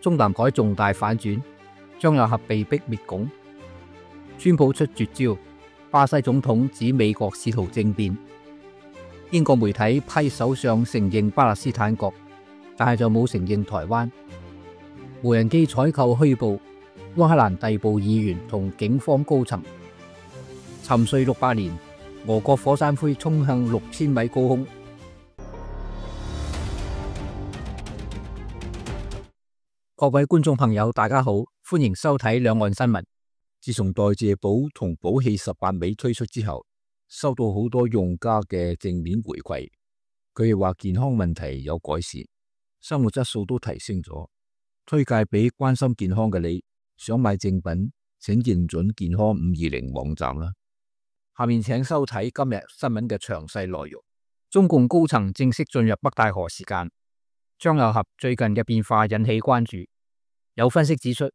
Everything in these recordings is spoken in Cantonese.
中南海重大反轉，張又俠被逼滅拱。川普出絕招，巴西總統指美國試圖政變。英國媒體批首相承認巴勒斯坦國，但係就冇承認台灣。無人機採購虛報，烏克蘭逮捕議員同警方高層。沉睡600年，俄國火山灰衝向6000米高空。各位觀眾朋友，大家好，歡迎收睇兩岸新聞。自從代謝寶同寶氣18味推出之後，收到好多用家嘅正面回饋，佢哋話健康問題有改善，生活質素都提升咗，推介俾關心健康嘅你。想買正品，請認準健康520網站啦。下面請收睇今日新聞嘅詳細內容。中共高層正式進入北戴河時間。張又俠最近嘅變化引起關注，有分析指出，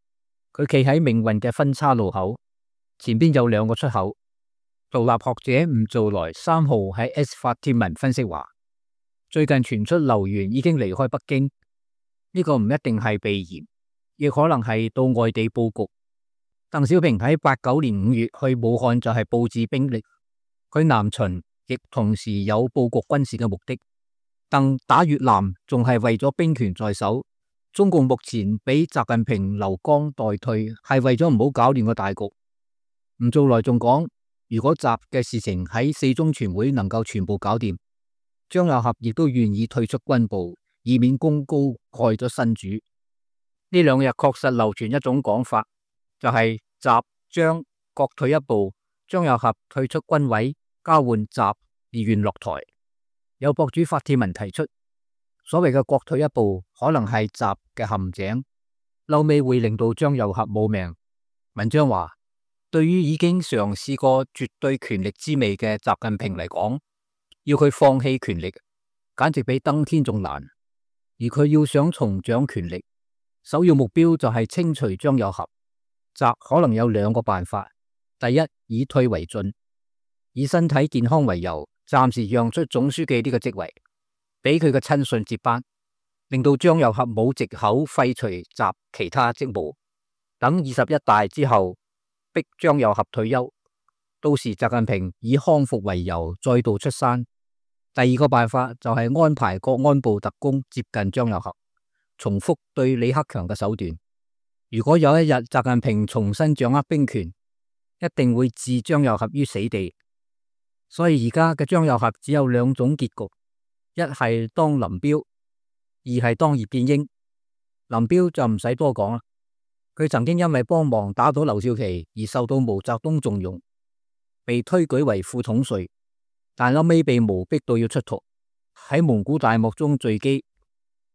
佢企喺命運嘅分叉路口，前邊有2個出口。獨立學者吳造來3號喺 S 發貼文分析話，最近傳出劉源已經離開北京，呢個唔一定係避嫌，亦可能係到外地佈局。鄧小平喺89年5月去武漢就係佈置兵力，佢南巡亦同時有佈局軍事嘅目的。鄧打越南仲係為咗兵權在手，中共目前俾習近平留江待退，係為咗唔好搞亂個大局。吳造來仲講，如果習嘅事情喺4中全會能夠全部搞掂，張又俠亦都願意退出軍部，以免功高蓋咗新主。呢2日確實流傳一種講法，就係習張各退一步，張又俠退出軍委，交換習而願落台。有博主發帖文提出，所謂嘅各退一步可能係習嘅陷阱，後尾會令到張又俠冇命。文章話，對於已經嘗試過絕對權力之味嘅習近平嚟講，要佢放棄權力，簡直比登天仲難。而佢要想重掌權力，首要目標就係清除張又俠。習可能有2個辦法：第一，以退為進，以身體健康為由，暫時讓出總書記呢個職位，俾佢嘅親信接班，令到張又俠冇藉口廢除習其他職務。等21大之後，逼張又俠退休，到時習近平以康復為由再度出山。第2個辦法就係安排國安部特工接近張又俠，重複對李克強嘅手段。如果有一日習近平重新掌握兵權，一定會置張又俠於死地。所以而家嘅張又俠只有2種結局，一係當林彪，二係當葉劍英。林彪就唔使多講啦，佢曾經因為幫忙打倒劉少奇而受到毛澤東重用，被推舉為副統帥，但後尾被毛逼到要出逃，喺蒙古大漠中墜機。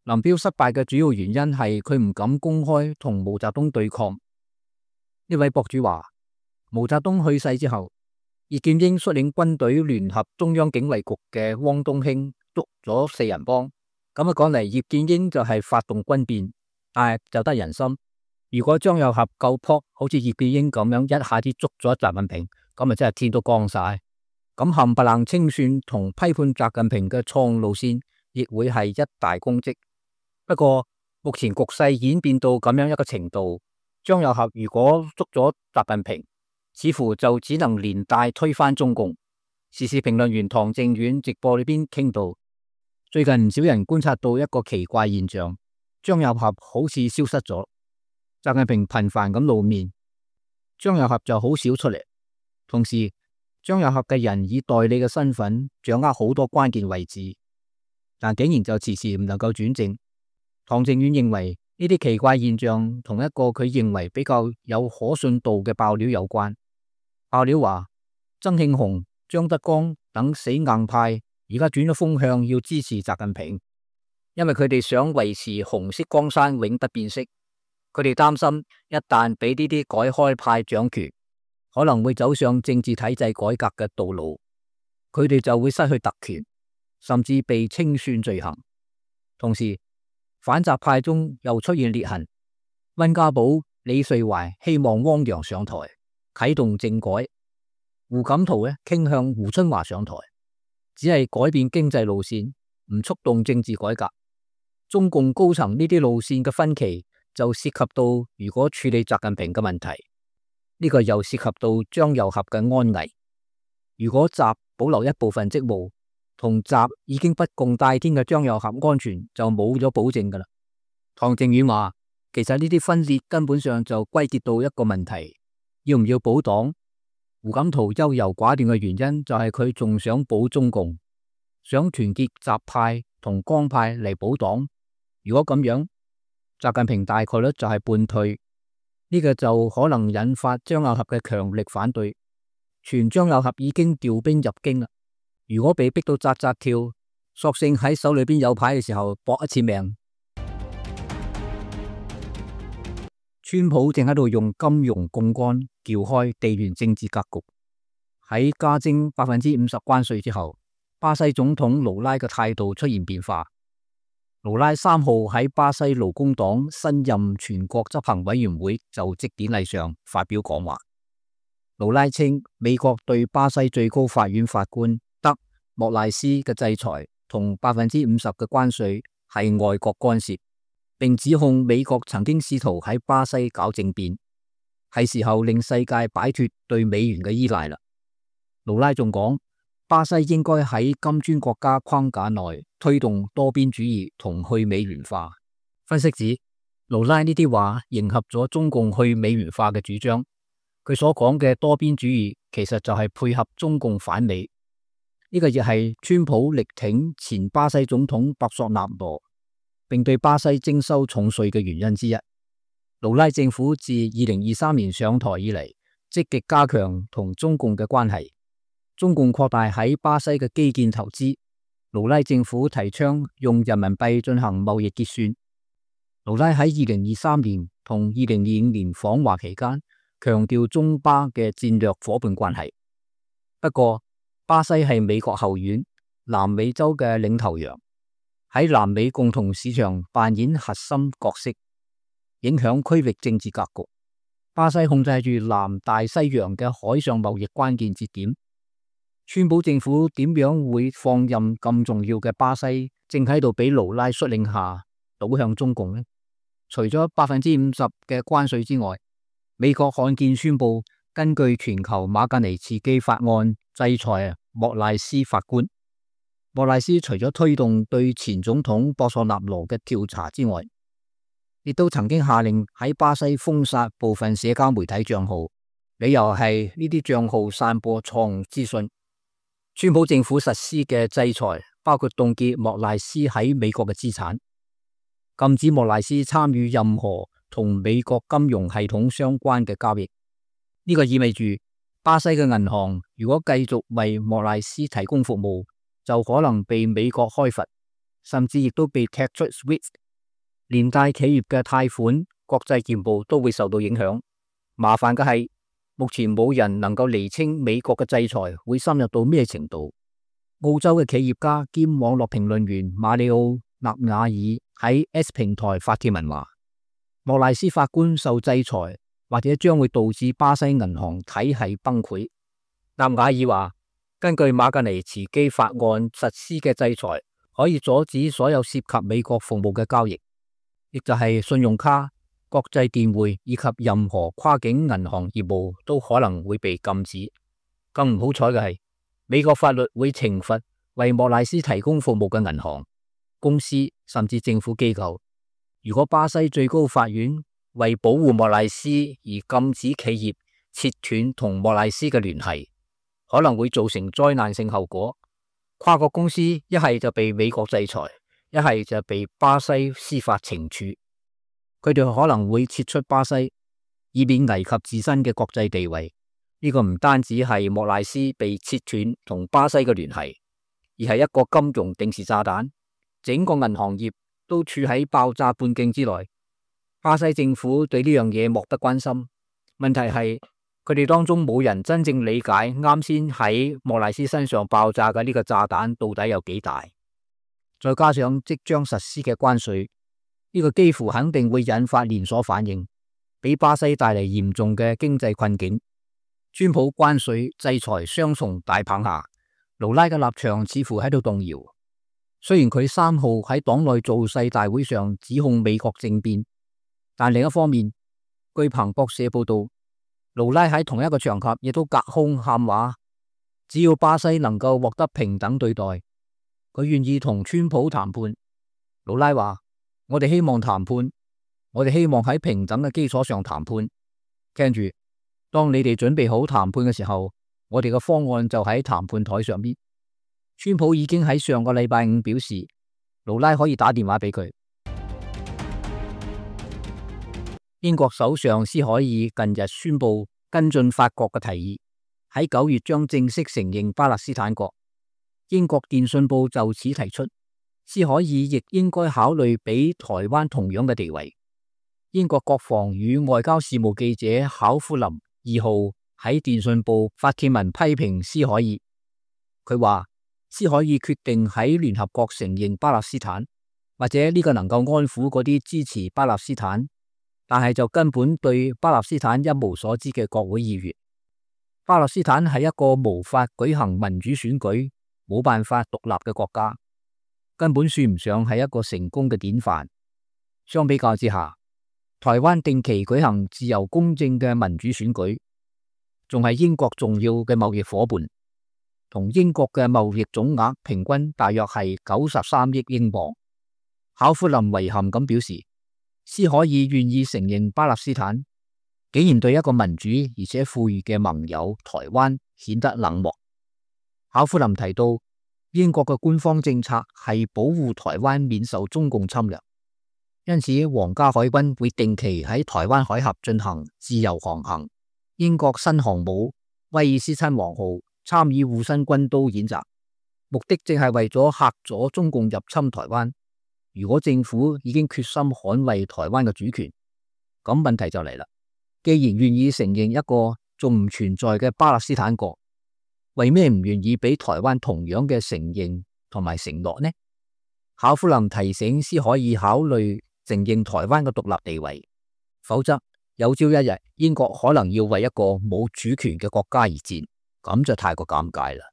林彪失敗嘅主要原因係佢唔敢公開同毛澤東對抗。呢位博主話，毛澤東去世之後，葉劍英率領軍隊聯合中央警衛局嘅汪東興捉咗4人幫。咁講嚟，葉劍英就係發動軍變，但係就得人心。如果張又俠夠撲，好似葉劍英咁樣一下子捉咗習近平，咁真係天都光晒。咁冚唪唥清算同批判習近平嘅錯誤路線，亦會係一大功績。不過目前局勢演變到咁樣一個程度，張又俠如果捉咗習近平，似乎就只能連帶推翻中共。時事評論員唐正遠直播裏邊傾到，最近唔少人觀察到一個奇怪現象，張又俠好似消失咗，習近平頻繁咁露面，張又俠就好少出嚟。同時，張又俠嘅人以代理嘅身份掌握好多關鍵位置，但竟然就遲遲唔能夠轉正。唐正遠認為呢啲奇怪現象同一個佢認為比較有可信度嘅爆料有關。爆料話，曾慶紅、張德江等死硬派而家轉咗風向，要支持習近平，因為佢哋想維持紅色江山永不變色。佢哋擔心一旦俾呢啲改開派掌權，可能會走上政治體制改革嘅道路，佢哋就會失去特權，甚至被清算罪行。同時，反習派中又出現裂痕，溫家寶、李瑞懷希望汪洋上台，啟動政改；胡錦濤傾向胡春華上台，只係改變經濟路線，唔觸動政治改革。中共高層呢啲路線嘅分歧，就涉及到如果處理習近平嘅問題，呢個又涉及到張又俠嘅安危。如果習保留一部分職務，同習已經不共戴天嘅張又俠安全就冇咗保證噶啦。唐靖遠話，其實呢啲分裂根本上就歸結到一個問題，要唔要保黨？胡錦濤優柔寡斷嘅原因就係佢仲想保中共，想團結習派同江派嚟保黨。如果咁樣，習近平大概率就係叛退，呢個就可能引發張又俠嘅強力反對。傳張又俠已經調兵入京啦，如果被逼到扎扎跳，索性喺手裏邊有牌嘅時候搏一次命。川普正喺度用金融槓桿撬開地緣政治格局。喺加徵50%關稅之後，巴西總統盧拉嘅態度出現變化。盧拉3號喺巴西勞工黨新任全國執行委員會就職典禮上發表講話。盧拉稱美國對巴西最高法院法官德莫賴斯嘅制裁同50%嘅關稅係外國干涉，並指控美國曾經試圖喺巴西搞政變，係時候令世界擺脫對美元嘅依賴啦。盧拉仲講，巴西應該喺金磚國家框架內推動多邊主義同去美元化。分析指，盧拉呢啲話迎合咗中共去美元化嘅主張。佢所講嘅多邊主義其實就係配合中共反美，呢個亦係川普力挺前巴西總統博索納羅，並對巴西徵收重稅嘅原因之一。盧拉政府自2023年上台以嚟，積極加強同中共嘅關係。中共擴大喺巴西嘅基建投資，盧拉政府提倡用人民幣進行貿易結算。盧拉喺2023年同2025年訪華期間，強調中巴嘅戰略夥伴關係。不過，巴西係美國後院，南美洲嘅領頭羊，喺南美共同市場扮演核心角色，影響區域政治格局。巴西控制住南大西洋嘅海上貿易關鍵節點。川普政府點樣會放任咁重要嘅巴西正喺度俾盧拉率領下倒向中共呢？除咗50%嘅關稅之外，美國罕見宣布根據全球馬格尼茨基法案制裁莫賴斯法官。莫賴斯除咗推動對前總統博索納羅嘅調查之外，亦都曾經下令喺巴西封殺部分社交媒體賬號，理由係呢啲賬號散播錯誤資訊。川普政府實施嘅制裁包括凍結莫賴斯喺美國嘅資產，禁止莫賴斯參與任何同美國金融系統相關嘅交易。呢個意味住巴西嘅銀行如果繼續為莫賴斯提供服務，就可能被美國開罰，甚至亦都被踢出 SWIFT， 連帶企業嘅貸款、國際業務都會受到影響。麻煩嘅係，目前冇人能夠釐清美國嘅制裁會深入到咩程度。澳洲嘅企業家兼網絡評論員馬里奧納瓦爾喺 S 平台發帖文話，莫賴斯法官受制裁或者將會導致巴西銀行體系崩潰。納瓦爾話，根據馬格尼茨基法案實施嘅制裁，可以阻止所有涉及美國服務嘅交易，亦就係信用卡、國際電匯以及任何跨境銀行業務都可能會被禁止。更唔好彩嘅係，美國法律會懲罰為莫賴斯提供服務嘅銀行、公司甚至政府機構。如果巴西最高法院為保護莫賴斯而禁止企業切斷同莫賴斯嘅聯繫，可能會造成災難性後果。跨國公司一係就被美國制裁，一係就被巴西司法懲處。佢哋可能會撤出巴西，以免危及自身嘅國際地位。呢個唔單止係莫賴斯被切斷同巴西嘅聯繫，而係一個金融定時炸彈，整個銀行業都處喺爆炸半徑之內。巴西政府對呢樣嘢漠不關心。問題係佢哋當中冇人真正理解啱先喺莫賴斯身上爆炸嘅呢個炸彈到底有幾大。再加上即將實施嘅關稅，呢個幾乎肯定會引發連鎖反應，俾巴西帶嚟嚴重嘅經濟困境。川普關稅制裁雙重大棒下，盧拉嘅立場似乎喺度動搖。雖然佢3號喺黨內造勢大會上指控美國政變，但另一方面，據彭博社報道，盧拉喺同一個場合亦都隔空喊話，只要巴西能夠獲得平等對待，佢願意同川普談判。盧拉話：我哋希望談判，我哋希望喺平等嘅基礎上談判。聽住，當你哋準備好談判嘅時候，我哋嘅方案就喺談判台上邊。川普已經喺上個禮拜五表示，盧拉可以打電話俾佢。英國首相施凱爾近日宣布跟進法國嘅提議，喺9月將正式承認巴勒斯坦國。英國電訊報就此提出，施凱爾亦應該考慮俾台灣同樣嘅地位。英國國防與外交事務記者考夫林2號喺電訊報發帖文批評施凱爾，佢話施凱爾決定喺聯合國承認巴勒斯坦，或者呢個能夠安撫嗰啲支持巴勒斯坦，但係就根本對巴勒斯坦一無所知嘅國會議員。巴勒斯坦係一個無法舉行民主選舉、冇辦法獨立嘅國家，根本算唔上係一個成功嘅典範。相比較之下，台灣定期舉行自由公正嘅民主選舉，仲係英國重要嘅貿易夥伴，同英國嘅貿易總額平均大約係93億英鎊。考夫林遺憾咁表示，施凱爾願意承認巴勒斯坦，竟然對一個民主而且富裕嘅盟友台灣顯得冷漠。考夫林提到，英國嘅官方政策係保護台灣免受中共侵略，因此皇家海軍會定期喺台灣海峽進行自由航行。英國新航母威爾斯親王號參與護身軍刀演習，目的正係為咗嚇阻中共入侵台灣。如果政府已經決心捍衛台灣嘅主權，咁問題就嚟啦。既然願意承認一個仲唔存在嘅巴勒斯坦國，為咩唔願意俾台灣同樣嘅承認同埋承諾呢？考夫林提醒施凱爾考慮承認台灣嘅獨立地位，否則有朝一日英國可能要為一個冇主權嘅國家而戰，咁就太過尷尬啦。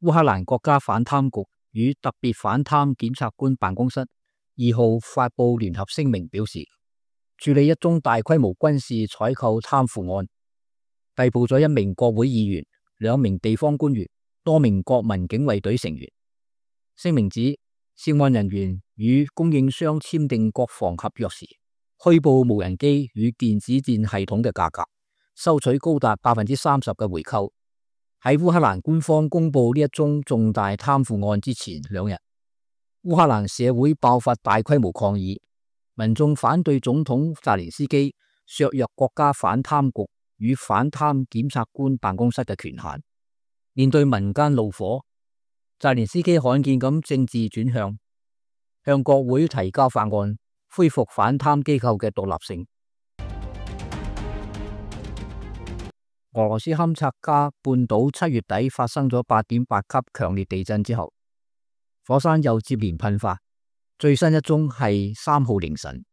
烏克蘭國家反貪局與特別反貪檢察官辦公室2號發布聯合聲明，表示處理一宗大規模軍事採購貪腐案，逮捕咗1名國會議員、2名地方官員、多名國民警衛隊成員。聲明指，涉案人員與供應商簽訂國防合約時，虛報無人機與電子戰系統嘅價格，收取高達30%嘅回扣。喺烏克蘭官方公布呢一宗重大貪腐案之前2日，烏克蘭社會爆發大規模抗議，民眾反對總統澤連斯基削弱國家反貪局與反貪檢察官辦公室嘅權限。面對民間怒火，澤連斯基罕見咁政治轉向，向國會提交法案，恢復反貪機構嘅獨立性。俄羅斯堪察加半島7月底發生咗8.8級強烈地震之後，火山又接連噴發，最新一宗係3號凌晨，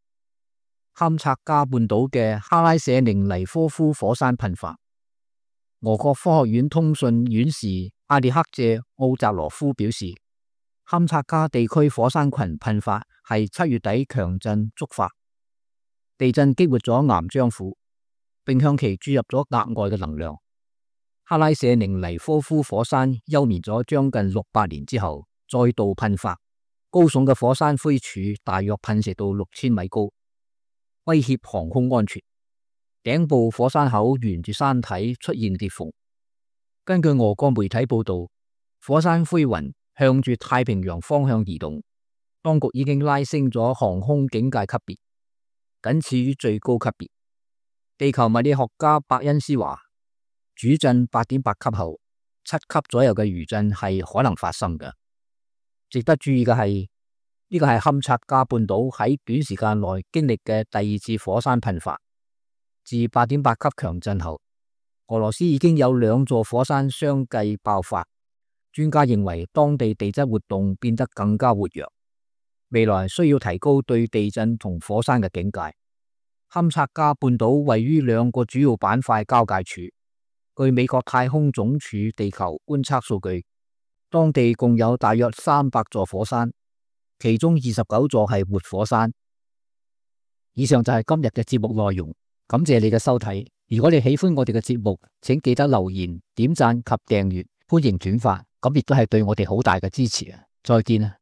堪察加半島嘅哈拉舍寧尼科夫火山噴發。俄國科學院通訊院士阿列克謝奧扎羅夫表示，堪察加地區火山群噴發係7月底強震觸發，地震激活咗岩漿庫，並向其注入咗額外嘅能量。哈拉舍寧尼科夫火山休眠咗將近600年之後再度噴發，高聳嘅火山灰柱大約噴射到6000米高，威脅航空安全。頂部火山口沿住山體出現裂縫。根據俄國媒體報道，火山灰雲向住太平洋方向移動，當局已經拉升咗航空警戒級別，僅次於最高級別。地球物理學家伯恩斯話，主震8.8級後，7級左右嘅餘震係可能發生嘅。值得注意嘅係，呢個係堪察加半島喺短時間內經歷嘅第2次火山噴發。自8.8級強震後，俄羅斯已經有2座火山相繼爆發。專家認為當地地質活動變得更加活躍，未來需要提高對地震同火山嘅警戒。堪察加半島位於2個主要板塊交界處，據美國太空總署地球觀測數據，當地共有大約300座火山，其中29座係活火山。以上就係今日嘅節目內容，感謝你嘅收睇。如果你喜歡我哋嘅節目，請記得留言、點讚及訂閱，歡迎轉發，咁亦都係對我哋好大嘅支持啊！再見啊！